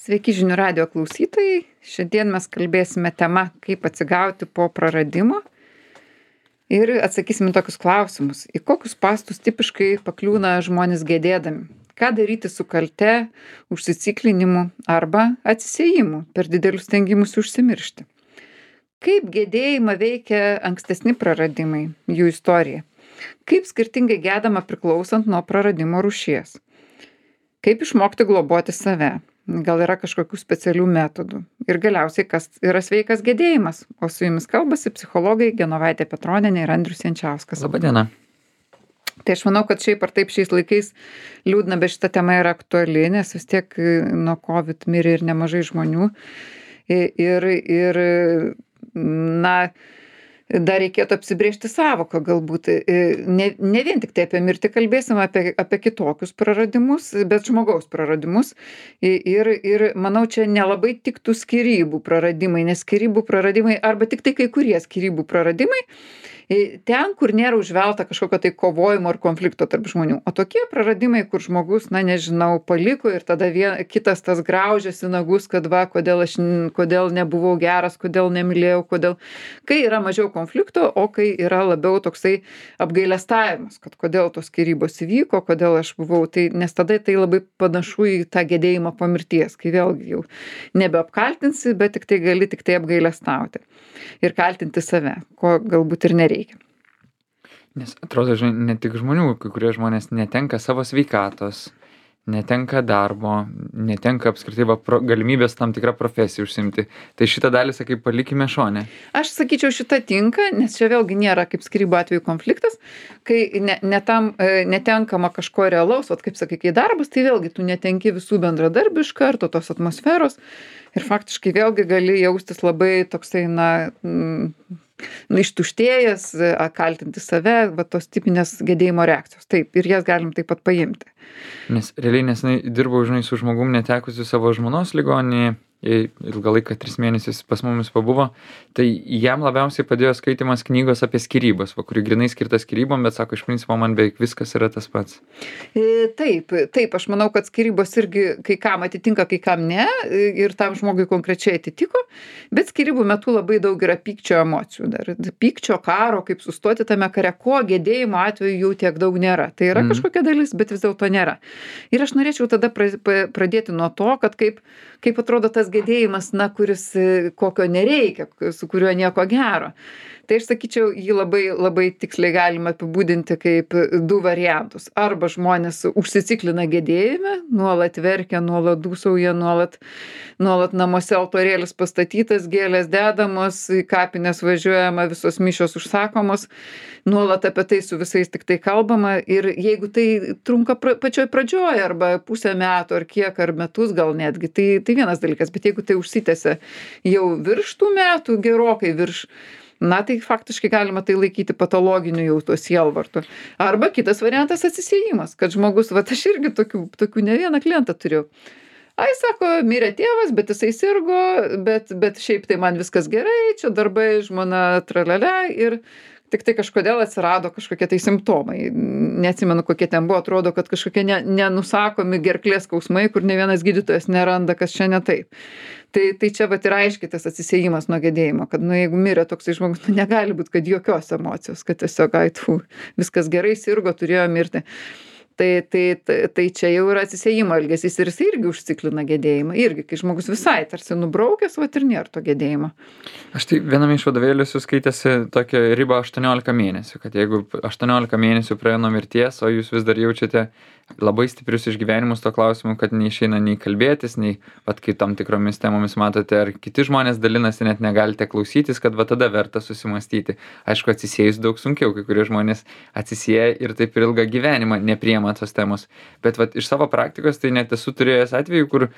Sveiki žinių radijo klausytojai. Šiandien mes kalbėsime tema, kaip atsigauti po praradimo ir atsakysim į tokius klausimus. Į kokius spąstus tipiškai pakliūna žmonės gedėdami? Ką daryti su kalte, užsiciklinimu arba atsisiejimu per didelius stengimus užsimiršti? Kaip gedėjimą veikia ankstesni praradimai, jų istorija? Kaip skirtingai gedama priklausant nuo praradimo rūšies? Kaip išmokti globoti save? Gal yra kažkokių specialių metodų? Ir galiausiai, kas yra sveikas gedėjimas? O su jumis kalbasi psichologai Genovaitė Petronienė ir Andrius Jančiauskas. Labadiena. Tai aš manau, kad šiaip ar taip šiais laikais liūdna, bet šita tema yra aktuali, nes vis tiek nuo COVID mirė ir nemažai žmonių. Ir na, dar reikėtų apsibrėžti sąvoką galbūt. Ne vien tik tai apie mirtį kalbėsim, apie kitokius praradimus, bet žmogaus praradimus. Ir manau, čia nelabai tiktų skyrybų praradimai, nes skyrybų praradimai arba tik tai kai kurie skyrybų praradimai, ten, kur nėra užvelta kažkokio tai kovojimo ar konflikto tarp žmonių. O tokie praradimai, kur žmogus, na nežinau, paliko ir tada kitas tas graužiasi nagus, kad va, kodėl nebuvau geras, kodėl nemylėjau, kai yra mažiau konflikto, o kai yra labiau toksai apgailestavimas, kad kodėl tos skyrybos įvyko, kodėl aš buvau, nes tada tai labai panašu į tą gedėjimą po mirties, kai vėlgi jau nebeapkaltinsi, bet tik tai apgailestauti ir kaltinti save, ko galbūt ir nereikia. Nes atrodo, ne tik žmonių, kai kurie žmonės netenka savo sveikatos, netenka darbo, netenka apskritai galimybės tam tikrą profesiją užsiimti. Tai šitą dalį, sakai, palikime šone. Aš sakyčiau, šitą tinka, nes čia vėlgi nėra kaip skyrybų atveju konfliktas, kai netenkama kažko realaus, kaip sakai, kai darbas, tai vėlgi tu netenki visų bendradarbių iš karto, tos atmosferos ir faktiškai vėlgi gali jaustis labai toksai, ištuštėjęs, kaltinti save, va tos tipinės gedėjimo reakcijos. Taip, ir jas galim taip pat paimti. Nes realiai nesenai dirbau, su žmogum netekusiu savo žmonos ligoninėje, ilgą laiką 3 mėnesius pas mumis pabuvo, tai jam labiausiai padėjo skaitimas knygos apie skyrybas, kuri grinai skirta skyrybom, bet sako, iš principo man beveik viskas yra tas pats. Taip, aš manau, kad skyrybos irgi kai kam atitinka, kai kam ne, ir tam žmogui konkrečiai atitiko, bet skyrybų metu labai daug yra pykčio emocijų dar. Pykčio, karo, kaip sustoti tame kare, ko gedėjimo atveju jau tiek daug nėra. Tai yra kažkokia dalis, bet vis dėlto nėra. Ir aš norėčiau tada pradėti nuo to, kad kaip atrodo tas gedėjimas, kuris kokio nereikia, su kuriuo nieko gero. Tai aš sakyčiau, jį labai, labai tiksliai galima apibūdinti kaip 2 variantus. Arba žmonės užsiciklina gedėjime, nuolat verkia, nuolat dūsauja, nuolat namuose altorėlis pastatytas, gėlės dedamos, į kapines važiuojama, visos mišios užsakomos, nuolat apie tai su visais tik tai kalbama. Ir jeigu tai trunka pačioj pradžioj, arba pusę metų, ar kiek, ar metus gal netgi, tai vienas dalykas. Bet jeigu tai užsitęsia jau virš tų metų, gerokai virš, tai faktiškai galima tai laikyti patologiniu jau tuo sielvartu. Arba kitas variantas atsisiejimas, kad žmogus, aš irgi tokių ne vieną klientą turiu. Sako, mirė tėvas, bet jisai sirgo, bet šiaip tai man viskas gerai, čia darbai, žmona, tralele ir tik tai kažkodėl atsirado kažkokie tai simptomai. Neatsimenu, kokie ten buvo, atrodo, kad kažkokie nenusakomi gerklės skausmai, kur ne vienas gydytojas neranda, kas čia ne taip. Tai čia ir aiškiai tas atsisiejimas nuo gedėjimo, kad jeigu mirė toksai žmogus, negali būti, kad jokios emocijos, kad tiesiog viskas gerai, sirgo, turėjo mirti. Tai čia jau yra atsisiejimo elgesys ir jis irgi užciklina gedėjimą. Irgi, kai žmogus visai tarsi nubraukęs, ir nėra to gedėjimo. Aš tai viename iš vadovėlių skaitėsi tokią ribą 18 mėnesių, kad jeigu 18 mėnesių praėjo nuo mirties, o jūs vis dar jaučiate labai stiprius išgyvenimus to klausimu, kad neišeina nei kalbėtis, nei, kai tam tikromis temomis matote, ar kiti žmonės dalinasi, net negalite klausytis, kad tada verta susimastyti. Aišku, atsisiejus daug sunkiau, kai kurie žmonės atsisieja ir taip ir ilgą gyvenimą nepriima tos temos. Bet iš savo praktikos tai net esu turėjęs atvejų, kur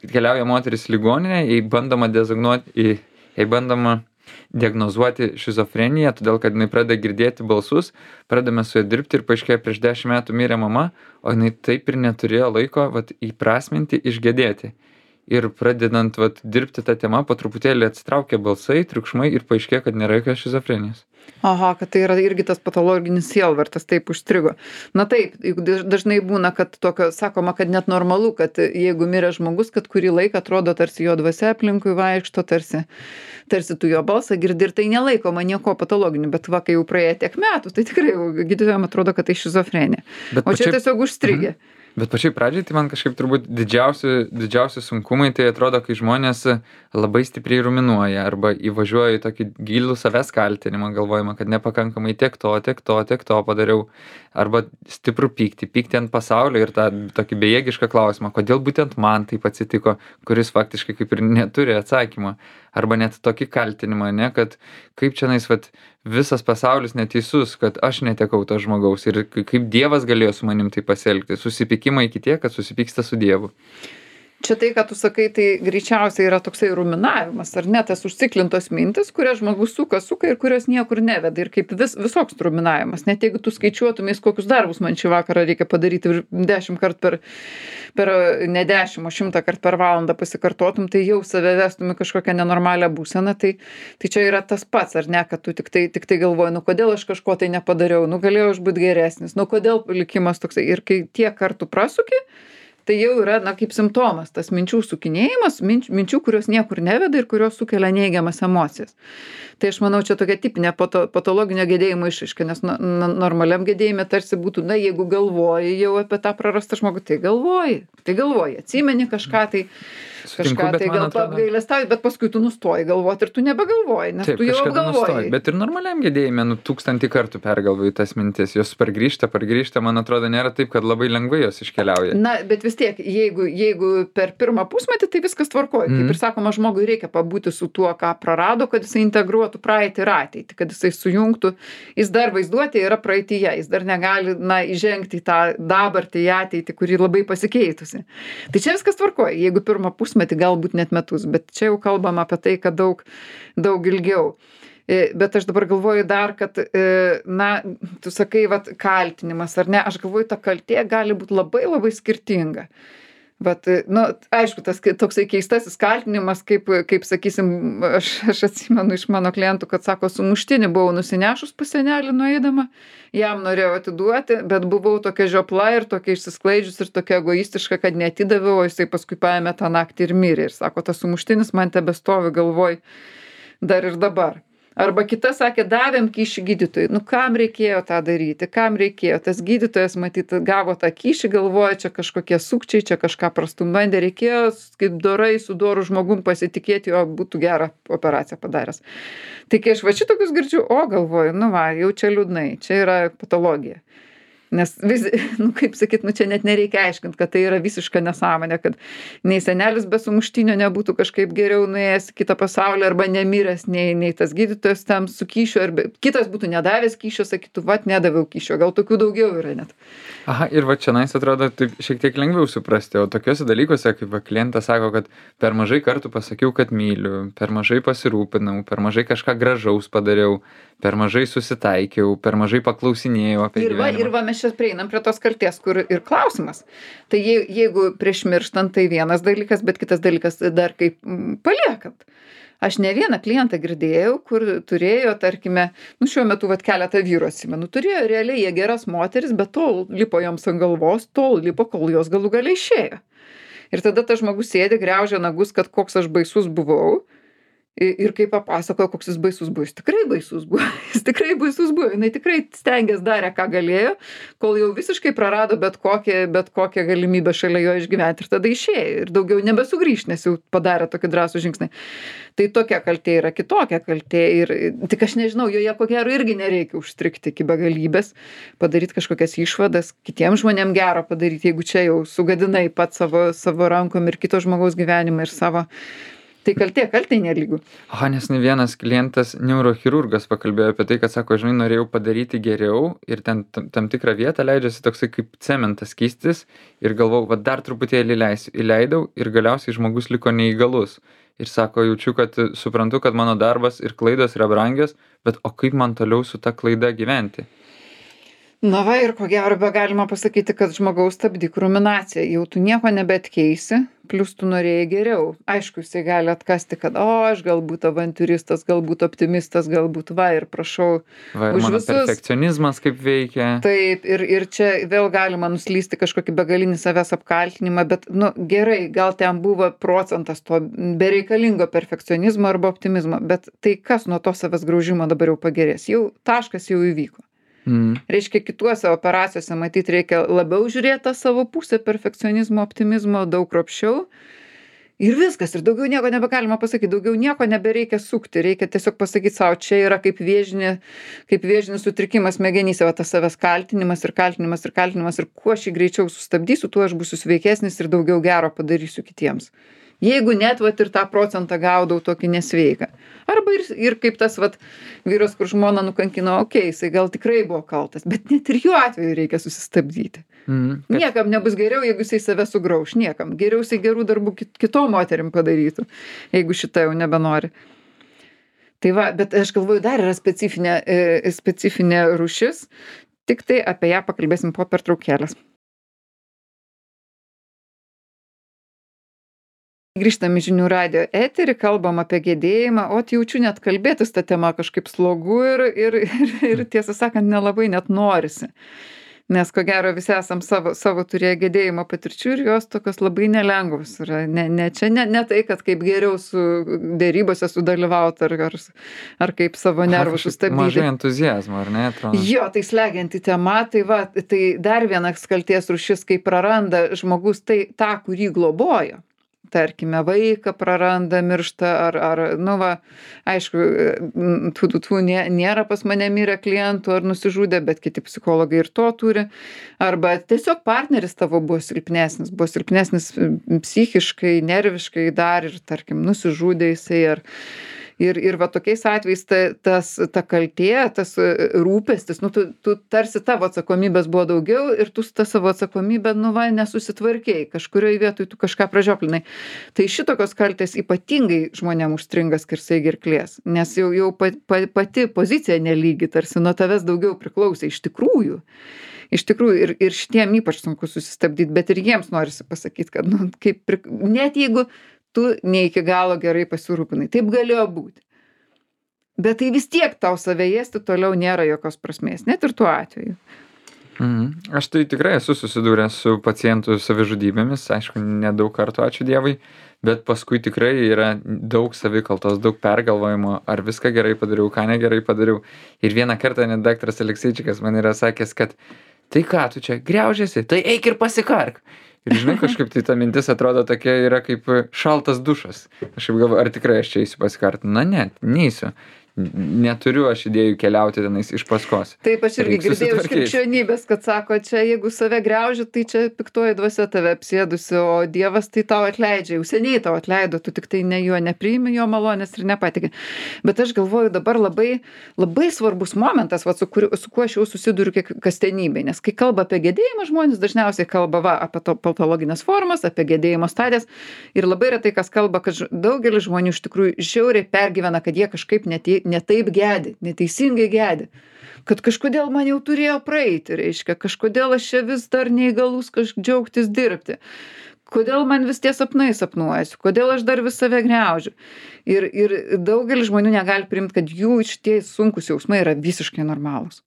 keliauja moteris ligoninė, jai bandoma diagnozuoti šizofreniją, todėl kad jinai pradeda girdėti balsus, pradame su ja dirbti ir paaiškėjo, prieš 10 metų mirė mama, o jinai taip ir neturėjo laiko įprasminti, išgedėti. ir pradedant vat dirbti ta tema po truputėlį atsitraukia balsai, triukšmai ir paaiškėja, kad nėra jokios šizofrenijos. Aha, kad tai yra irgi tas patologinis sielvartas, taip užstrigo. Na taip, juk dažnai būna, kad tokio, sakoma, kad net normalu, kad jeigu mirė žmogus, kad kurį laiką atrodo tarsi jo dvasia aplinkui vaikšto, tarsi tu jo balsą girdi ir tai nelaikoma nieko patologiniu, bet va, kai jau praėjo tiek metų, tai tikrai gydytojams atrodo, kad tai šizofrenija. O čia tiesiog užstrigė. Bet pačiai pradžiai tai man kažkaip turbūt didžiausi sunkumai tai atrodo, kai žmonės labai stipriai ruminuoja arba įvažiuoja į tokį gilų savęs kaltinimą, galvojama, kad nepakankamai tiek to padariau, arba stiprų pyktį ant pasaulio ir tą tokį bejėgišką klausimą, kodėl būtent man taip atsitiko, kuris faktiškai kaip ir neturi atsakymo, arba net tokį kaltinimą, ne, kad kaip čionais vat visas pasaulis neteisus, kad aš netekau to žmogaus ir kaip Dievas galėjo su manim taip pasielgti, susipykimą iki tiek, kad susipyksta su Dievu. Čia tai, ką tu sakai, tai greičiausiai yra toksai ruminavimas, ar ne, tas užciklintos mintis, kurias žmogus suka ir kurios niekur neveda. Ir kaip visoks ruminavimas. Net jeigu tu skaičiuotumės, kokius darbus man šį vakarą reikia padaryti ir 10 kartų ne 10, o 100 kartų per valandą pasikartotum, tai jau save vestum į kažkokią nenormalią būseną. Tai čia yra tas pats, ar ne, kad tu tik tai galvoji, nu kodėl aš kažko tai nepadariau, nu galėjau aš būti geresnis, nu kodėl likimas toksai. Ir kai tiek kartų prasuki, tai jau yra, na, kaip simptomas, tas minčių sukinėjimas, minčių, kurios niekur neveda ir kurios sukelia neigiamas emocijas. Tai aš manau, čia tokia tipinė patologinio gedėjimo išraiška, nes normaliam gedėjime tarsi būtų, na, jeigu galvoji jau apie tą prarastą žmogų, tai galvoji, atsimeni kažką tai, gal apgailestauji, bet paskui tu nustoji galvoti ir tu nebegalvoji, nes tu jau apgalvoji. Bet ir normaliam gedėjime, 1000 kartų pergalvoji tas mintis, jos pargrįžta, man atrodo, nėra taip, kad labai lengvai jos iškeliauja. Na, bet vis tiek, jeigu per pirmą pusmetį, tai viskas tvarkoja. Kaip ir sakoma, žmogui reikia pabūti su tuo, ką prarado, kad jisai integruotų praeitį ir ateitį, kad jisai sujungtų. Jis dar vaizduotė yra praeityje, jis dar negali, na, įžengti į tą dabartį, į ateitį, kuri labai pasikeitusi. Tai čia viskas tvarkoja, jeigu pirmą pusmetį, galbūt net metus, bet čia jau kalbam apie tai, kad daug ilgiau. Bet aš dabar galvoju dar, kad, na, tu sakai, vat, kaltinimas, ar ne, aš galvoju, ta kaltė gali būti labai, labai skirtinga. Vat, nu, aišku, tas toksai keistasis kaltinimas, kaip sakysim, aš atsimenu iš mano klientų, kad sako, sumuštinį buvau nusinešus pas senelį nueidama, jam norėjau atiduoti, bet buvau tokia žiopla ir tokia išsisklaidžius ir tokia egoistiška, kad neatidaviau, o jisai paskui paėmė tą naktį ir mirė. Ir sako, tas sumuštinis man tebestovi galvoj dar ir dabar. Arba kita sakė, davėm kyšį gydytojui. Nu, kam reikėjo tą daryti? Kam reikėjo? Tas gydytojas, matyt, gavo tą kyšį, galvoja, čia kažkokie sukčiai, čia kažką prastum bandė. Reikėjo, kaip dorai, su doru žmogum pasitikėti, jo būtų gerą operaciją padaręs. Tai kai aš va šitokius girdžiu, galvoju, nu va, jau čia liūdnai, čia yra patologija. Nes nu kaip sakyt, nu čia net nereikia aiškint, kad tai yra visiška nesąmonė, kad nei senelis be sumuštinio nebūtų kažkaip geriau nuėjęs į kitą pasaulį arba nemiręs, nei tas gydytojas tam su kyšiu, arba kitas būtų nedavęs kyšio, sakytų, vat nedaviau kyšio, gal tokių daugiau yra net. Aha, ir va čionais atrodo taip šiek tiek lengviau suprasti, o tokiuose dalykuose, kaip va klientas sako, kad per mažai kartų pasakiau, kad myliu, per mažai pasirūpinau, per mažai kažką gražaus padariau, per mažai susitaikiau, per mažai paklausinėjau apie gyvenimą. Ir va mes čia prieinam prie tos kaltės, kur ir klausimas. Tai jeigu prieš mirštant, tai vienas dalykas, bet kitas dalykas dar kaip paliekant. Aš ne vieną klientą girdėjau, kur turėjo, tarkime, nu šiuo metu vat keletą vyrų atsimenu, turėjo realiai jie geras moteris, bet tol lipo joms ant galvos, tol lipo, kol jos galų galiai išėjo. Ir tada tas žmogus sėdi, griaužia nagus, kad koks aš baisus buvau. Ir kai papasakojo, koks jis baisus buvo, jis tikrai baisus buvo, jinai tikrai stengės darė, ką galėjo, kol jau visiškai prarado bet kokią galimybę šalia jo išgyventi ir tada išėjo ir daugiau nebesugrįš, nes jau padarė tokį drąsų žingsnį. Tai tokia kaltė yra kitokia kaltė ir tik aš nežinau, joje ko gero irgi nereikia užstrikti iki begalybės, padaryti kažkokias išvadas, kitiems žmonėms gero padaryti, jeigu čia jau sugadinai pat savo rankom ir kito žmogaus gyvenimą ir savo. Tai kaltė nelygų. Aha, nes ne vienas klientas, neurochirurgas, pakalbėjo apie tai, kad sako, žinai, norėjau padaryti geriau ir ten tam tikrą vietą leidžiasi toksai kaip cementas keistis ir galvau, va dar truputėlį įleidau ir galiausiai žmogus liko neįgalus. Ir sako, jaučiu, kad suprantu, kad mano darbas ir klaidos yra brangios, bet o kaip man toliau su ta klaida gyventi? Na va ir ko gero galima pasakyti, kad žmogaus stabdyk ruminaciją. Jau tu nieko nebeatkeisi, plius tu norėjai geriau. Aišku, jisai gali atkasti, kad aš galbūt avantiūristas, galbūt optimistas, galbūt ir prašau Va, ir už mano visus. perfekcionizmas kaip veikia. Taip, ir čia vėl galima nuslysti kažkokį begalinį savęs apkaltinimą, bet, gerai, gal ten buvo procentas to bereikalingo perfekcionizmo arba optimizmo, bet tai kas nuo to savęs graužimo dabar jau pagerės? Jau taškas jau įvyko. Reiškia, kituose operacijose matyt reikia labiau žiūrėti tą savo pusę perfekcionizmo, optimizmo, daug kruopščiau. Ir viskas, ir daugiau nieko nebegalima pasakyti, daugiau nieko nebereikia sukti, reikia tiesiog pasakyti savo, čia yra kaip vėžinis sutrikimas smegenyse, va tas savęs kaltinimas ir kaltinimas ir kaltinimas, ir kuo aš jį greičiau sustabdysiu, tuo aš būsiu sveikesnis ir daugiau gero padarysiu kitiems. Jeigu net ir tą procentą gaudau tokį nesveiką. Arba ir kaip tas vyras, kur žmona nukankino, jisai gal tikrai buvo kaltas, bet net ir jų atveju reikia susistabdyti. Niekam nebus geriau, jeigu jisai save sugrauš, niekam. Geriau jisai gerų darbų kitom moterim padarytų, jeigu šitą jau nebenori. Tai bet aš galvoju, dar yra specifinė rūšis, tik tai apie ją pakalbėsim po pertraukėlės. Grįžtam į žinių radijo eterį, kalbam apie gedėjimą, jaučiu net kalbėtis tą temą kažkaip slogu ir tiesą sakant, nelabai net norisi. Nes ko gero visi esam savo turėję gedėjimo patirčių ir jos tokios labai nelengvos yra. Ne tai, kad kaip geriau su dėrybose sudalyvauti ar kaip savo nervus sustabdyti. Mažai entuzijazmo, ar ne? Atrodo. Jo, tai slegianti tema, tai dar vienas kalties rūšis, kai praranda žmogus tą, kurį globojo. Tarkime, vaiką praranda, miršta, aišku, nėra pas mane mirę klientų ar nusižudė, bet kiti psichologai ir to turi. Arba tiesiog partneris tavo buvo silpnesnis psichiškai, nerviškai dar ir, tarkim, nusižudė jisai ir tokiais atvejais ta kaltė, tas rūpestis, tu tarsi tavo atsakomybės buvo daugiau ir tu tą savo atsakomybę, nesusitvarkėjai, kažkurioje vietoje tu kažką pražioplinai. Tai šitokios kaltės ypatingai žmonėm užstringa skersai gerklės, nes jau pati pozicija nelygi, tarsi nuo tavęs daugiau priklausė iš tikrųjų. Iš tikrųjų, ir šitiem ypač sunku susistabdyti, bet ir jiems norisi pasakyti, kad net jeigu tu ne iki galo gerai pasirūpinai. Taip galėjo būti. Bet tai vis tiek tau save ėsti toliau nėra jokios prasmės, net ir tuo atveju. Aš tai tikrai esu susidūręs su pacientų savižudybėmis, aišku, nedaug kartų, ačiū Dievui, bet paskui tikrai yra daug savikaltos, daug pergalvojimo, ar viską gerai padariau, ką negerai padariau. Ir vieną kartą net daktaras Alekseičikas man yra sakęs, kad tai ką tu čia griaužiasi, tai eik ir pasikark. Ir žinai, kažkaip tai ta mintis atrodo tokia yra kaip šaltas dušas. Aš galvoju, ar tikrai aš čia eisiu pasikarti? Ne, neisiu. Neturiu aš idėjų keliauti tenais iš paskos. Taip, aš irgi girdėjau iš krikščionybės, kad sako, čia jeigu save griauži, tai čia piktoji dvasia tave apsėdusi, o Dievas tai tau atleidžia, jau seniai tau atleido, tu tik tai jo nepriimi, jo malonės ir nepatiki. Bet aš galvoju, dabar labai, labai svarbus momentas, su kuo aš jau susiduriu kasdienybėje, nes kai kalba apie gedėjimą, žmonės dažniausiai kalba apie patologinės formas, apie gedėjimo stadijas ir labai retai kas kalba, kad daugelis žmonių iš tikrųjų žiauriai pergyvena, kad jie kažkaip ne taip gedi, neteisingai gedi, kad kažkodėl man jau turėjo praeiti, reiškia, kažkodėl aš čia vis dar neįgalus džiaugtis dirbti, kodėl man vis tie sapnai sapnuojasi, kodėl aš dar vis save gniaužiu. Ir daugelis žmonių negali priimti, kad jų šitie sunkus jausmai yra visiškai normalūs.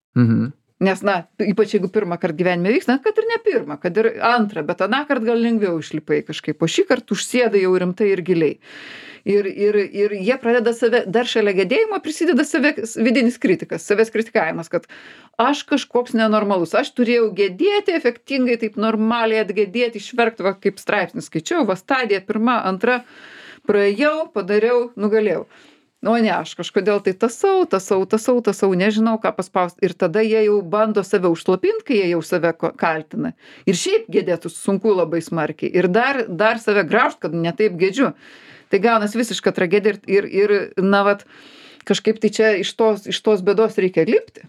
Nes, ypač jeigu pirmą kartą gyvenime vyksta, kad ir ne pirmą, kad ir antrą, bet aną kartą gal lengviau išlipai kažkaip, o šį kartą užsėda jau rimtai ir giliai. Ir jie pradeda dar šalia gedėjimo prisideda vidinis kritikas, savęs kritikavimas, kad aš kažkoks nenormalus, aš turėjau gedėti efektingai, taip normaliai atgedėti, išverkti, kaip straipsnis skaičiau, stadija pirma, antra, praėjau, padariau, nugalėjau. O ne, aš kažkodėl tai tasau, nežinau, ką paspausti. Ir tada jie jau bando save užslopinti, kai jie jau save kaltina. Ir šiaip gedėtų sunku labai smarkiai. Ir dar save graužt, kad netaip gedžiu. Tai gaunas visiška tragedija ir kažkaip tai čia iš tos bėdos reikia lipti.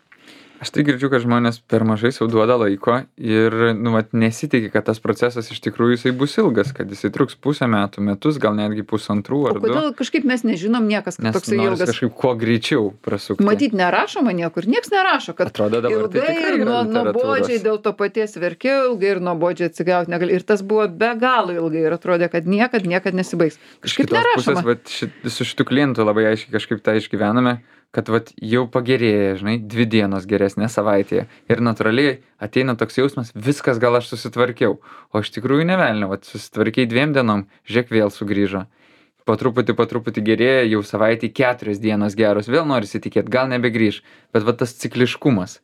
Aš tai girdžiu, kad žmonės per mažai sau duoda laiko ir, nesitikė, kad tas procesas iš tikrųjų jisai bus ilgas, kad jisai truks pusę metų, metus, gal netgi pusantrų O ar du. kodėl kažkaip mes nežinom niekas, kad Nes toksai noris ilgas. kažkaip kuo greičiau prasukti. Matyt, nerašoma niekur, nieks nerašo, kad Atrodo, dabar tai ilgai tikrai ir yra nuobodžiai literatūros. dėl to paties verkiau, ilgai ir nuobodžiai atsigauti negali. Ir tas buvo be galo ilgai ir atrodė, kad niekad nesibaigs. Iš Kažkaip kitos pusės, nerašoma. su šitu klientu labai aiškiai kažkaip tą išgyvename, kad jau pagerėja, 2 dienos geresnė savaitėje. Ir natūraliai ateina toks jausmas, viskas gal aš susitvarkiau. O iš tikrųjų nevelnio, susitvarkiai 2 dienom, žiūrėk vėl sugrįžo. Po truputį gerėja, jau savaitį 4 dienos geros, vėl norisi tikėti, gal nebegrįž. Bet tas cikliškumas.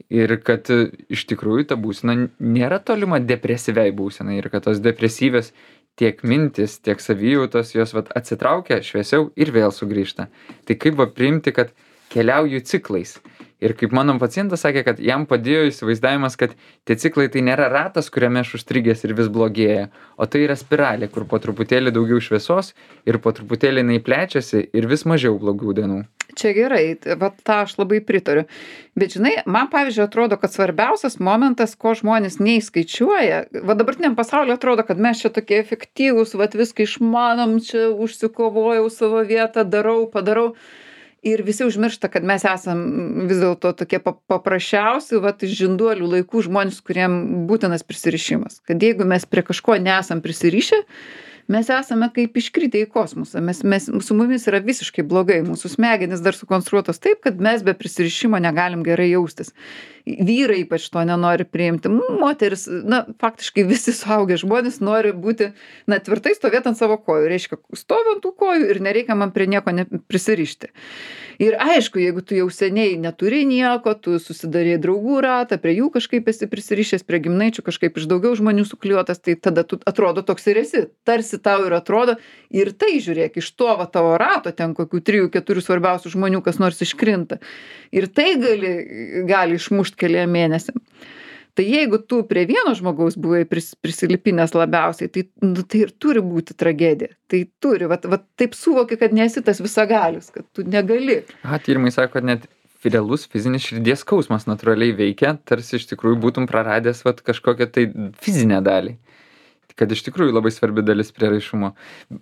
Ir kad iš tikrųjų ta būsena nėra tolima depresyviai būsenai. Ir kad tos depresyvės tiek mintis, tiek savijautos, jos atsitraukia šviesiau ir vėl sugrįžta. Tai kaip priimti, kad keliauju ciklais. Ir kaip mano pacientas sakė, kad jam padėjo įsivaizdavimas, kad tie ciklai tai nėra ratas, kuriame aš užstrigęs ir vis blogėja, o tai yra spiralė, kur po truputėlį daugiau šviesos ir po truputėlį jinai plečiasi ir vis mažiau blogų dienų. Čia gerai, tą aš labai pritariu. Bet žinai, man pavyzdžiui atrodo, kad svarbiausias momentas, ko žmonės neįskaičiuoja, dabartiniam pasauliu atrodo, kad mes čia tokie efektyvūs, viską išmanom, čia užsikovojau savo vietą, padarau. Ir visi užmiršta, kad mes esam vis dėlto tokie paprasčiausi, iš žinduolių laikų žmonės, kuriem būtinas prisirišimas. Kad jeigu mes prie kažko nesam prisirišę, mes esame kaip iškritę į kosmosą. Su mumis yra visiškai blogai. Mūsų smegenys dar sukonstruotos taip, kad mes be prisirišimo negalim gerai jaustis. Vyrai ypač to nenori priimti. Moteris, faktiškai visi suaugę žmonės nori būti, tvirtai stovėti ant savo kojų. Reiškia, stovi ant tų kojų ir nereikia man prie nieko prisirišti. Ir aišku, jeigu tu jau seniai neturi nieko, tu susidarei draugų ratą, prie jų kažkaip esi prisirišęs, prie giminaičių kažkaip iš daugiau žmonių suklijuotas, tai tada tu atrodo toks ir esi. Tarsi tau ir atrodo. Ir tai žiūrėk, iš to tavo rato ten kokių 3-4 svarbiausių žmonių kas nors iškrinta. Ir tai gali išmušti keliem mėnesiam. Tai jeigu tu prie vieno žmogaus buvai prisilipinęs labiausiai, tai ir turi būti tragedija. Tai turi, taip suvoki, kad nesi tas visagalis, kad tu negali. Tyrimai sako, kad net realus fizinis širdies skausmas natūraliai veikia, tarsi iš tikrųjų būtum praradęs kažkokią tai fizinę dalį. Kad iš tikrųjų labai svarbi dalis prieraišumo.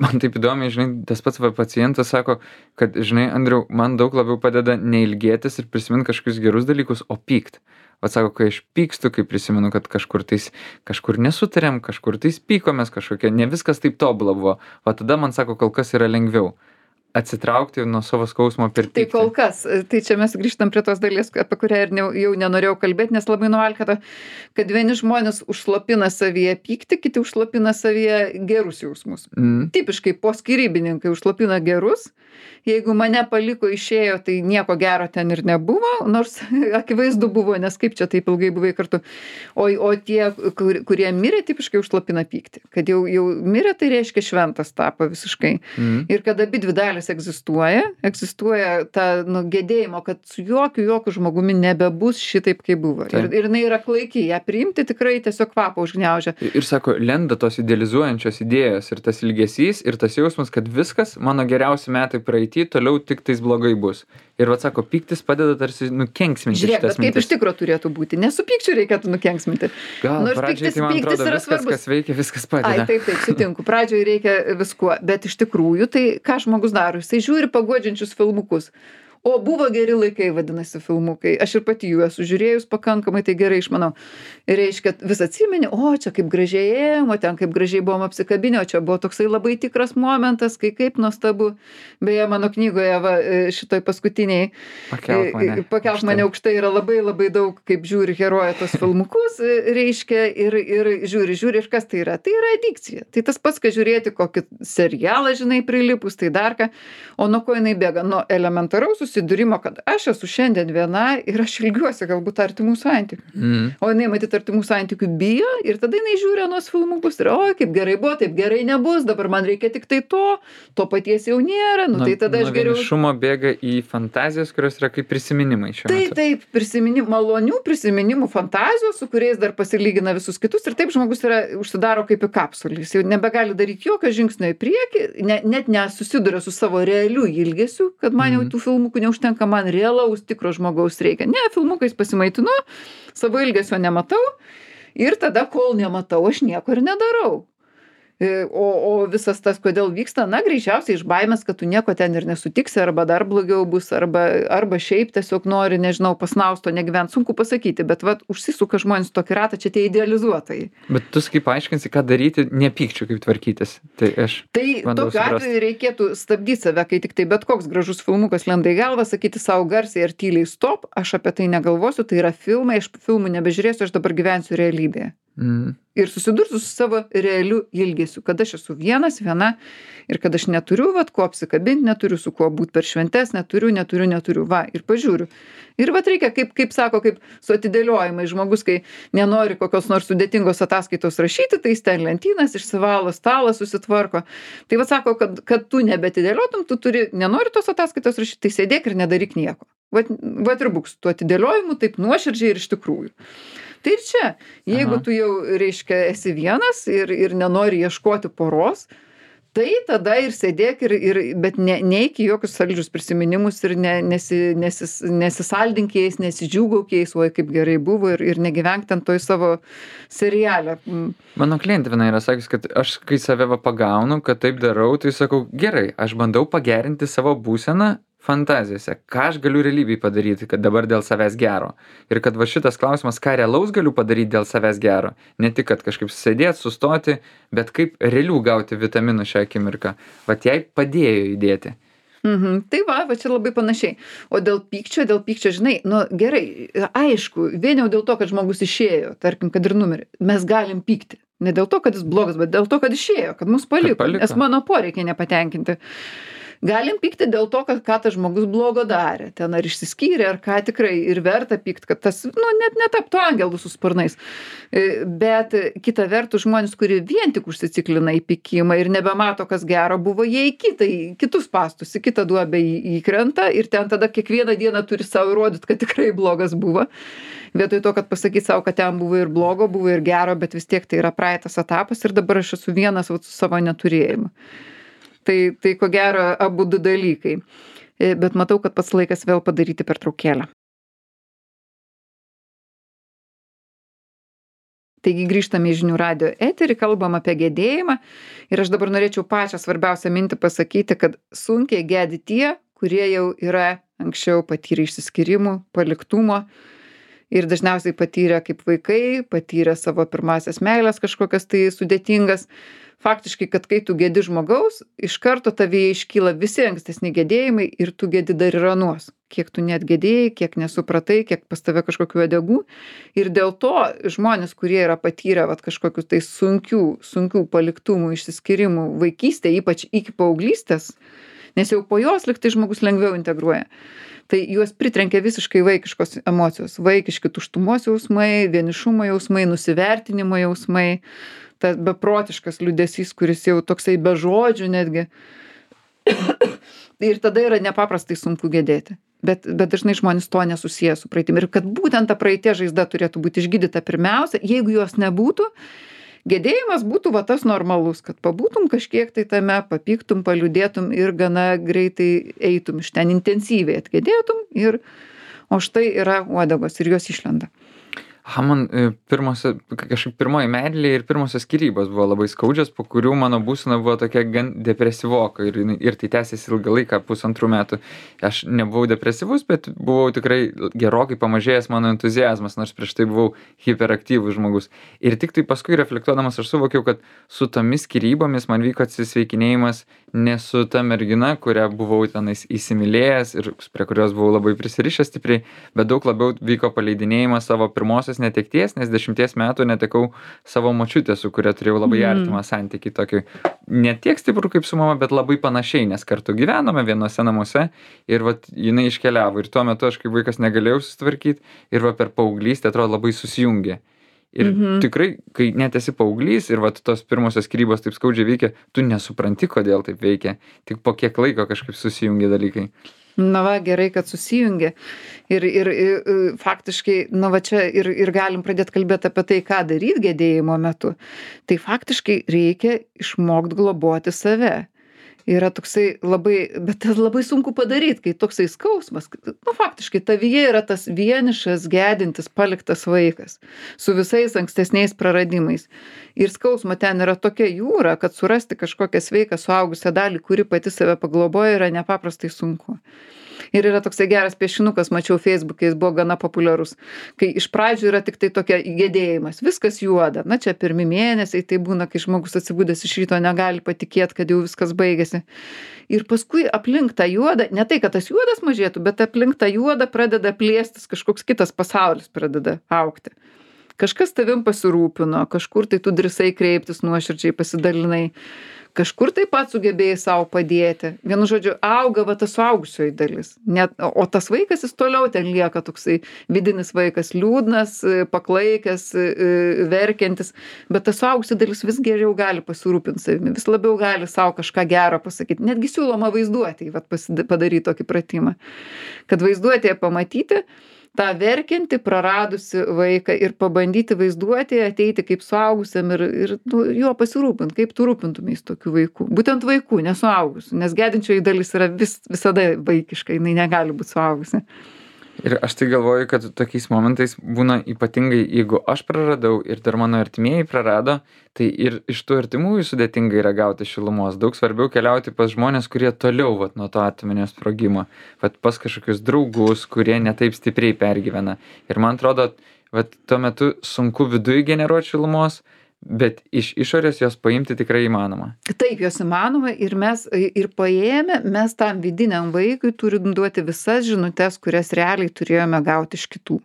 Man taip įdomiai, tas pats pacientas sako, kad, Andriau, man daug labiau padeda neilgėtis ir prisiminti kažkokius gerus dalykus, o pykt. Sako, kai aš pykstu, kai prisimenu, kad kažkur nesutarėm, kažkur pykomės, ne viskas taip tobula buvo. Tada man sako, kol kas yra lengviau atsitraukti nuo savo skausmo per pyktį. Tai kol kas, tai čia mes grįžtam prie tos dalies, apie kurią ir jau nenorėjau kalbėti, nes labai nuvalkata, kad vieni žmonės užslopina savyje pyktį, kiti užslopina savyje gerus jausmus. Tipiškai poskirybininkai užslopina gerus, jeigu mane paliko išėjo, tai nieko gero ten ir nebuvo, nors akivaizdu buvo, nes kaip čia taip ilgai buvai kartu. O tie, kurie mirė, tipiškai užslopina pyktį. Kad jau mirė, tai reiškia šventas tapo visiškai. Ir kad abi dvi dalis egzistuoja ta gedėjimo, kad su jokiu žmogumi nebebus šitaip, kaip buvo. Ir jinai yra klaiki, ją priimti tikrai tiesiog kvapą užgniaužia. Ir sako, lenda tos idealizuojančios idėjos ir tas ilgesys ir tas jausmas, kad viskas, mano geriausi metai praeity, toliau tik tais blogai bus. Ir sako, pyktis padeda tarsi nukenksminti. Žiūrėk, bet kaip iš tikro turėtų būti. Nesu pykčiu reikėtų nukenksminti. Gal pradžiai tai man atrodo, viskas, kas veikia, viskas padeda. Taip, sutinku. Pradžiai reikia viskuo. Bet iš tikrųjų, tai ką žmogus daro? Jisai žiūri paguodžiančius filmukus. O buvo geri laikai, vadinasi, filmukai. Aš ir pati jų esu žiūrėjus pakankamai, tai gerai išmanau. Reiškia, vis atsimeni, čia kaip gražiai ėjom, o ten kaip gražiai buvom apsikabinę, o čia buvo toksai labai tikras momentas, kai kaip nuostabu. Beje, mano knygoje, šitoj paskutiniai Pakelk mane aukštai yra labai labai daug, kaip žiūri heroja tos filmukus, reiškia, ir žiūri, ir kas tai yra? Tai yra adikcija. Tai tas pats, kad žiūrėti kokį serialą, prilipus, tai dar ką. O nuo ko jinai bėga? Nuo elementaraus susidūrimo, kad aš esu šiandien viena ir aš ilgiuosi galbūt artimų santykių. O jinai matyt artimų santykių bijo ir tada jinai žiūri anuos filmukus ir kaip gerai buvo, taip gerai nebus, dabar man reikia tik tai to paties jau nėra, tai tada aš geriau. Vienišumo bėga į fantazijas, kurios yra kaip prisiminimai šiuo metu. Taip, malonių prisiminimų fantazijos, su kuriais dar pasilygina visus kitus ir taip žmogus užsidaro kaip į kapsulį. Jis jau nebegali daryti jokio žingsnio į priekį, net nesusiduria su savo realiu ilgesiu, kad man jau tų filmukų neužtenka, man realaus tikro žmogaus reikia. Ne, filmukais pasimaitinu, savo ilgesio nematau ir tada, kol nematau, aš nieko ir nedarau. O visas tas, kodėl vyksta, na, greičiausiai iš baimės, kad tu nieko ten ir nesutiksi, arba dar blogiau bus, arba šiaip tiesiog nori, nežinau, pasnausto negyvent, sunku pasakyti, bet vat užsisuka žmonės tokį ratą, čia tie idealizuotojai. Bet tu kaip paaiškinsi, ką daryti, nepykčiau, kaip tvarkytis. Tai tokiu atveju reikėtų stabdyti save, kai tik tai bet koks gražus filmukas lenda į galvą, sakyti savo garsiai ar tyliai stop, aš apie tai negalvosiu, tai yra filmai, aš filmų nebežiūrėsiu, aš dabar gyvensiu realybėje. Ir susidursiu su savo realiu ilgesiu, kad aš esu viena ir kad aš neturiu, ko apsikabinti, neturiu su kuo būti per šventes, neturiu, va, ir pažiūriu. Ir vat reikia, kaip sako, kaip su atidėliojimai žmogus, kai nenori kokios nors sudėtingos ataskaitos rašyti, tai jis ten lentynas išsivalo, stalą susitvarko. Tai vat sako, kad tu nebetidėliotum, tu nenori tos ataskaitos rašyti, tai sėdėk ir nedaryk nieko. Vat ir būk su tuo atidėliojimu taip nuoširdžiai ir iš tikrųjų. Tai ir čia, jeigu tu jau, reiškia, esi vienas ir nenori ieškoti poros, tai tada ir sėdėk, bet neik į jokius saldžius prisiminimus ir nesisaldink jais, nesidžiūgauk jais, oi kaip gerai buvo ir negyvenk ten toj savo serialę. Mano klientė viena yra sakys, kad aš kai save pagaunu, kad taip darau, tai sakau, gerai, aš bandau pagerinti savo būseną fantazijose, ką aš galiu realybėj padaryti, kad dabar dėl savęs gero. Ir kad va šitas klausimas, ką realaus galiu padaryti dėl savęs gero. Ne tik, kad kažkaip sėdėti, sustoti, bet kaip realių gauti vitaminų šią akimirką. Vat jai padėjo įdėti. Tai va čia labai panašiai. O dėl pykčio, žinai, gerai, aišku, vien jau dėl to, kad žmogus išėjo, tarkim, kad ir numirė, mes galim pykti. Ne dėl to, kad jis blogas, bet dėl to, kad išėjo, kad mus paliko. Nes mano poreikiai nepatenkinti. Galim pykti dėl to, kad ką tas žmogus blogo darė, ten ar išsiskyrė, ar ką tikrai ir verta pykti, kad tas, net netaptų angelų su sparnais. Bet kita vertus žmonės, kurie vien tik užsiciklina į pykimą ir nebemato, kas gero buvo, jie į kitus pastus, į kitą duobę įkrenta ir ten tada kiekvieną dieną turi savo įrodyti, kad tikrai blogas buvo. Vietoj to, kad pasakyti savo, kad ten buvo ir blogo, buvo ir gero, bet vis tiek tai yra praeitas etapas ir dabar aš esu vienas su savo neturėjimu. Tai ko gero abu du dalykai. Bet matau, kad pats laikas vėl padaryti pertraukėlę. Taigi grįžtame į žinių radijo eterį, kalbam apie gedėjimą. Ir aš dabar norėčiau pačią svarbiausią mintį pasakyti, kad sunkiai gedi tie, kurie jau yra anksčiau patyrę išsiskyrimų, paliktumo. Ir dažniausiai patyrę kaip vaikai, patyrę savo pirmasias meilės kažkokias tai sudėtingas. Faktiškai, kad kai tu gedi žmogaus, iš karto tavyje iškyla visi ankstesni gedėjimai ir tu gedi dar ir anuos. Kiek tu net gedėjai, kiek nesupratai, kiek pas tave kažkokių uodegų. Ir dėl to žmonės, kurie yra patyrę kažkokius tai sunkių paliktumų, išsiskyrimų vaikystėje, ypač iki paauglystės, nes jau po jos liktai žmogus lengviau integruoja. Tai juos pritrenkia visiškai vaikiškos emocijos, vaikiški tuštumos jausmai, vienišumo jausmai, nusivertinimo jausmai, tas beprotiškas liūdesys, kuris jau toksai be žodžių netgi. Ir tada yra nepaprastai sunku gedėti. Bet dažnai žmonės to nesusiję su praeitim. Ir kad būtent ta praeities žaizda turėtų būti išgydyta pirmiausia, jeigu jos nebūtų, gedėjimas būtų tas normalus, kad pabūtum kažkiek tai tame, papyktum, paliūdėtum ir gana greitai eitum iš ten intensyviai atgedėtum o štai yra uodegos ir jos išlenda. Man kažkaip pirmoji meilė ir pirmosios skyrybos buvo labai skaudžios, po kurių mano būsena buvo tokia gan depresyvoka ir tai tęsėsi ilgą laiką, 1,5 metų. Aš nebuvau depresyvus, bet buvau tikrai gerokai pamažėjęs mano entuziazmas, nors prieš tai buvau hiperaktyvus žmogus. Ir tik tai paskui reflektuodamas aš suvokiau, kad su tomis skyrybomis man vyko atsisveikinėjimas ne su ta mergina, kurią buvau tenais įsimylėjęs ir prie kurios buvau labai prisirišęs stipriai, bet daug labiau vyko paleidinėjimas savo pirmosios netekties, nes 10 metų netekau savo močiutę, su kuria turėjau labai artimą santykį, tokį ne tiek stiprų kaip su mama, bet labai panašiai, nes kartu gyvenome vienose namuose ir jinai iškeliavo ir tuo metu aš kaip vaikas negalėjau susitvarkyti ir per paauglystę atrodo labai susijungė. Ir tikrai, kai net esi paauglys ir tos pirmosios skyrybos taip skaudžiai veikia, tu nesupranti, kodėl taip veikia, tik po kiek laiko kažkaip susijungia dalykai. Gerai, kad susijungia. Ir faktiškai, čia ir galim pradėti kalbėti apie tai, ką daryti gedėjimo metu. Tai faktiškai reikia išmokti globoti save. yra toksai labai, bet tas labai sunku padaryt, kai toksai skausmas, nu, faktiškai tavyje yra tas vienišas, gedintis, paliktas vaikas su visais ankstesniais praradimais. Ir skausmo ten yra tokia jūra, kad surasti kažkokią sveiką suaugusią dalį, kuri pati save pagloboja, yra nepaprastai sunku. Ir yra toksai geras piešinukas, mačiau Facebook'e, jis buvo gana populiarus, kai iš pradžių yra tik tai tokia gedėjimas, viskas juoda, na čia pirmi mėnesiai, tai būna, kai žmogus atsibudęs iš ryto negali patikėti, kad jau viskas baigėsi. Ir paskui aplink tą juodą, ne tai, kad tas juodas mažėtų, bet aplink tą juodą pradeda plėstis, kažkoks kitas pasaulis pradeda augti. Kažkas tavim pasirūpino, kažkur tai tu drįsai kreiptis nuoširdžiai, pasidalinai. Kažkur taip pat sugebėjai savo padėti. Vienu žodžiu, auga va ta suaugusioji dalis. O tas vaikas, jis toliau ten lieka toksai vidinis vaikas, liūdnas, paklaikęs, verkiantis. Bet ta suaugusi dalis vis geriau gali pasirūpinti savimi, vis labiau gali savo kažką gero pasakyti. Netgi siūloma vaizduotėj padaryti tokį pratimą. Kad vaizduotėje pamatyti tą verkiantį, praradusi vaiką ir pabandyti vaizduoti, ateiti kaip suaugusiam ir juo pasirūpinti, kaip tu rūpintumeis tokių vaikų. Būtent vaikų, nesuaugusių, nes gedinčioji dalis yra visada vaikiška, jinai negali būti suaugusi. Ir aš tai galvoju, kad tokiais momentais būna ypatingai, jeigu aš praradau ir dar mano artimieji prarado, tai ir iš tų artimųjų sudėtingai yra gauti šilumos. Daug svarbiau keliauti pas žmonės, kurie toliau vat, nuo to atominio sprogimo, vat, pas kažkokius draugus, kurie netaip stipriai pergyvena. Ir man atrodo, vat, tuo metu sunku viduje generuoti šilumos, bet iš išorės jos paimti tikrai įmanoma. Taip, jos įmanoma ir mes ir paėmę, mes tam vidiniam vaikui turim duoti visas žinutes, kurias realiai turėjome gauti iš kitų.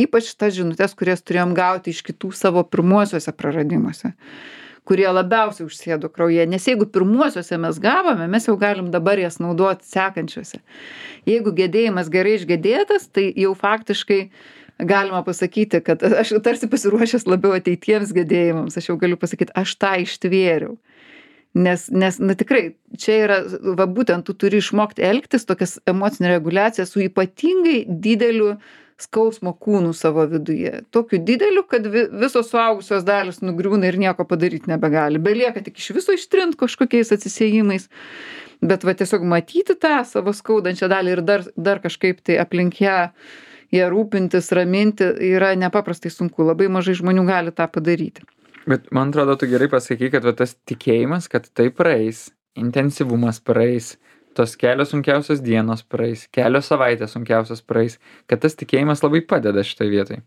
Ypač tas žinutes, kurias turėjom gauti iš kitų savo pirmuosiuose praradimuose, kurie labiausiai užsėdo kraujyje. Nes jeigu pirmuosiuose mes gavome, mes jau galim dabar jas naudoti sekančiuose. Jeigu gedėjimas gerai išgedėtas, tai jau faktiškai galima pasakyti, kad aš tarsi pasiruošęs labiau ateitiems gedėjimams, aš jau galiu pasakyti, aš tą ištvėriau. Nes na tikrai, čia yra, va būtent tu turi išmokti elgtis, tokias emocinę reguliaciją su ypatingai dideliu skausmo kūnu savo viduje. Tokiu dideliu, kad visos suaugusios dalis nugriūna ir nieko padaryti nebegali. Belieka tik iš viso ištrint kažkokiais atsisiejimais. Bet va tiesiog matyti tą savo skaudančią dalį ir dar kažkaip tai aplink ją rūpintis, raminti, yra nepaprastai sunku. Labai mažai žmonių gali tą padaryti. Bet man atrodo, tu gerai pasakai, kad va, tas tikėjimas, kad tai praeis, intensyvumas praeis, tos kelios sunkiausios dienos praeis, kelios savaitės sunkiausios praeis, kad tas tikėjimas labai padeda šitoj vietoj.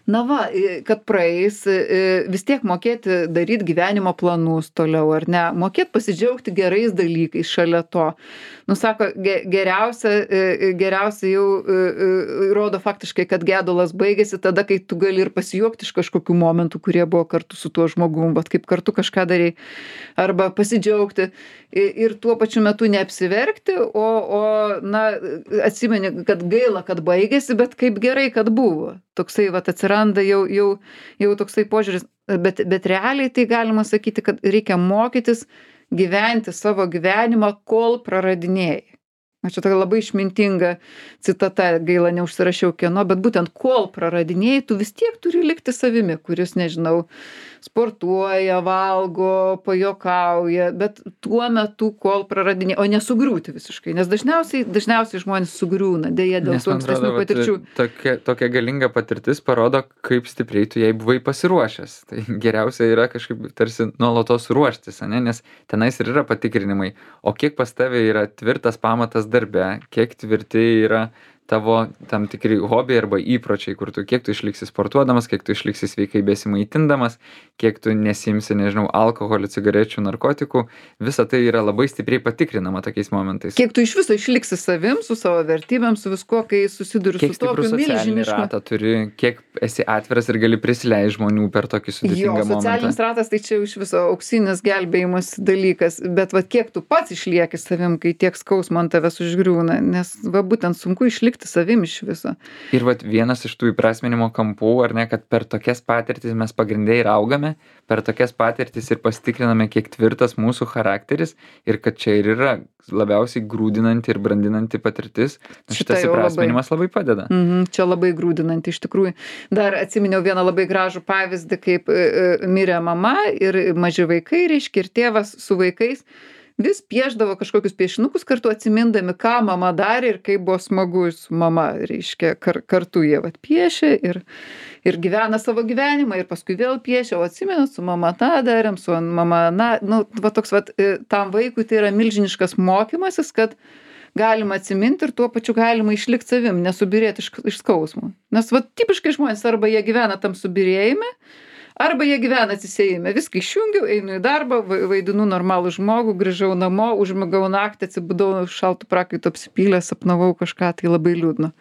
Na va, kad praeis, vis tiek mokėti daryti gyvenimo planus toliau, ar ne? Mokėti pasidžiaugti gerais dalykais šalia to. Nu, sako, geriausia jau rodo faktiškai, kad gedulas baigėsi tada, kai tu gali ir pasijuokti iš kažkokių momentų, kurie buvo kartu su tuo žmogum, bet kaip kartu kažką darei. Arba pasidžiaugti ir tuo pačiu metu neapsiverkti, na, atsimeni, kad gaila, kad baigėsi, bet kaip gerai, kad buvo. Toksai vat atsiranda jau toksai požiūris, bet realiai tai galima sakyti, kad reikia mokytis gyventi savo gyvenimą, kol praradinėjai. Čia tokia labai išmintinga citata, gaila neužsirašiau kieno, bet būtent kol praradinėjai, tu vis tiek turi likti savimi, kuris, nežinau, sportuoja, valgo, pajokauja, bet tuo metu, kol praradinėjai, o nesugriūti visiškai, nes dažniausiai žmonės sugriūna, dėja dėl tų ankstesnių patirčių. Tokia galinga patirtis parodo, kaip stipriai tu jai buvai pasiruošęs. Tai geriausia yra kažkaip tarsi nuolatos ruoštis, ne? Nes tenais ir yra patikrinimai. O kiek pas tave yra tvirtas pamatas darbe, kiek tvirti yra tavo tam tikri hobiai arba įpročiai, kur kiek tu išliksi sportuodamas, kiek tu išliksi sveikai besimaitindamas, kiek tu nesimsi, nežinau, alkoholio, cigarečių, narkotikų, visa tai yra labai stipriai patikrinama tokiais momentais. Kiek tu iš viso išliksi savim, su savo vertybėm, su viskuo, kai susiduri su tokiu milžinišku. Kiek stiprų socialinį ratą turi, kiek esi atviras ir gali prisileisti žmonių per tokį sudėtingą momentą. Socialinis ratas tai čia iš viso auksinis gelbėjimas dalykas, bet va kiek tu pats išlieki savim, kai tiek skausmo ant tavęs užgriūna, nes va būtent sunku išlikti savim iš viso. Ir vat vienas iš tų įprasminimo kampų, ar ne, kad per tokias patirtis mes pagrindai ir augame, per tokias patirtis ir pasitikriname, kiek tvirtas mūsų charakteris ir kad čia ir yra labiausiai grūdinanti ir brandinanti patirtis. Šitas įprasminimas labai padeda. Čia labai grūdinanti iš tikrųjų. Dar atsiminiau vieną labai gražų pavyzdį, kaip mirė mama ir maži vaikai, reiškia, ir tėvas su vaikais vis piešdavo kažkokius piešinukus kartu atsimindami, ką mama darė ir kaip buvo smagu su mama, reiškia, kartu jie vat piešė ir gyvena savo gyvenimą ir paskui vėl piešia, o atsimenat, su mama tą darėm, su mama, na, nu, va toks vat, tam vaikui tai yra milžiniškas mokymasis, kad galima atsiminti ir tuo pačiu galima išlikti savim, nesubirėti iš skausmo. Nes va tipiškai žmonės arba jie gyvena tam subirėjime, arba jie gyvena atsisėjime. Viską išjungiau, einu į darbą, vaidinu normalų žmogų, grįžau namo, užmigau naktį, atsibudau šaltų prakaitų apsipylęs, sapnavau kažką, tai labai liūdna.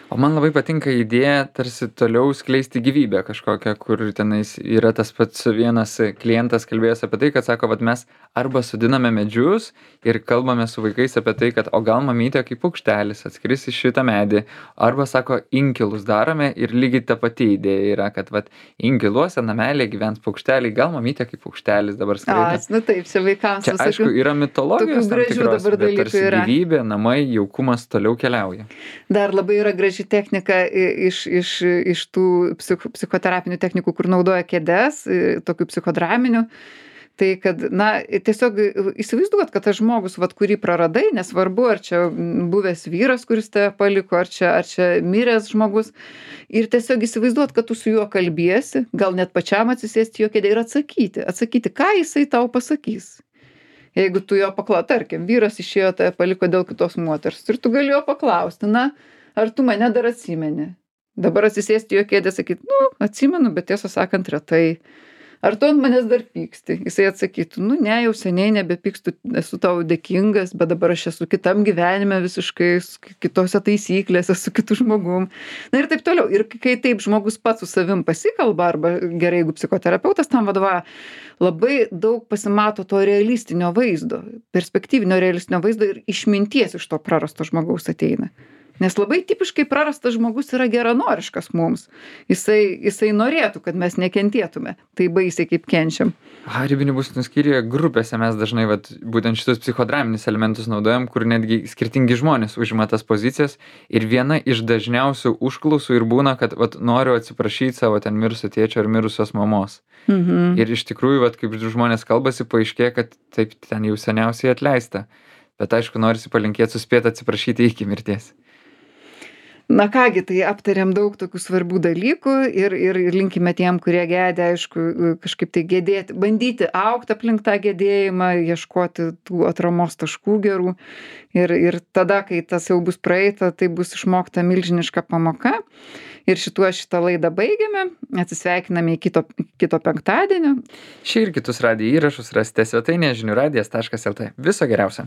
O man labai patinka idėja tarsi toliau skleisti gyvybę kažkokią, kur tenais yra tas pats vienas klientas kalbėjęs apie tai, kad sako, vat mes arba sodiname medžius ir kalbame su vaikais apie tai, kad o gal mamytė kaip paukštelis atskris į šitą medį, arba sako, inkilus darome ir lygiai ta pati idėja yra, kad vat inkiluose namelė gyvens paukšteliai, gal mamytė kaip paukštelis dabar skraido. Nu taip, čia vaikams. Čia aišku, yra mitologijos tam tikros, bet tarsi yra. Gyvybė, namai, jaukumas toliau keliauja. Dar labai yra graži technika iš tų psichoterapinių technikų, kur naudoja kėdes, tokių psichodraminių. Tai kad, na, tiesiog įsivaizduot, kad tas žmogus, vat, kurį praradai, nesvarbu, ar čia buvęs vyras, kuris tave paliko, ar čia miręs žmogus, ir tiesiog įsivaizduot, kad tu su juo kalbiesi, gal net pačiam atsisėsti jo kėdę ir atsakyti, ką jisai tau pasakys. Jeigu tu jo tarkim, vyras išėjo, tave paliko dėl kitos moters, ir tu gali jo paklausti, na, ar tu mane dar atsimeni? Dabar atsisėsti jo kėdę, sakyti, nu, atsimenu, bet tiesą sakant, retai. Ar tu ant manęs dar pyksti? Jisai atsakytų, nu ne, jau seniai nebepykstu, esu tau dėkingas, bet dabar aš esu kitam gyvenime visiškai, kitose taisyklėse, su kitu žmogum. Na ir taip toliau. Ir kai taip žmogus pats su savim pasikalba, arba gerai, jeigu psichoterapeutas tam vadovauja, labai daug pasimato to realistinio vaizdo, perspektyvinio realistinio vaizdo ir išminties iš to prarasto žmogaus ateina. Nes labai tipiškai prarastas žmogus yra geranoriškas mums. Jisai norėtų, kad mes nekentėtume. Tai baisiai kaip kenčiam. Ribinių būsenų skyriuje grupėse mes dažnai būtent šitus psichodraminius elementus naudojam, kur netgi skirtingi žmonės užima tas pozicijas. Ir viena iš dažniausių užklausų ir būna, kad noriu atsiprašyti savo ten mirusio tėčio ar mirusios mamos. Mhm. Ir iš tikrųjų, kaip žmonės kalbasi, paaiškėja, kad taip ten jau seniausiai atleista. Bet aišku, norisi palinkėti suspėti atsiprašyti iki mirties. Na kągi, tai aptarėm daug tokių svarbių dalykų ir linkime tiem, kurie gedė, aišku, kažkaip tai gedėti, bandyti augti aplink tą gedėjimą, ieškoti tų atramos taškų gerų. Ir tada, kai tas jau bus praeita, tai bus išmokta milžiniška pamoka. Ir šitą laidą baigiame, atsisveikiname į kito penktadienio. Šį ir kitus radijo įrašus rasite svetainėje žiniųradijas.lt. Viso geriausio.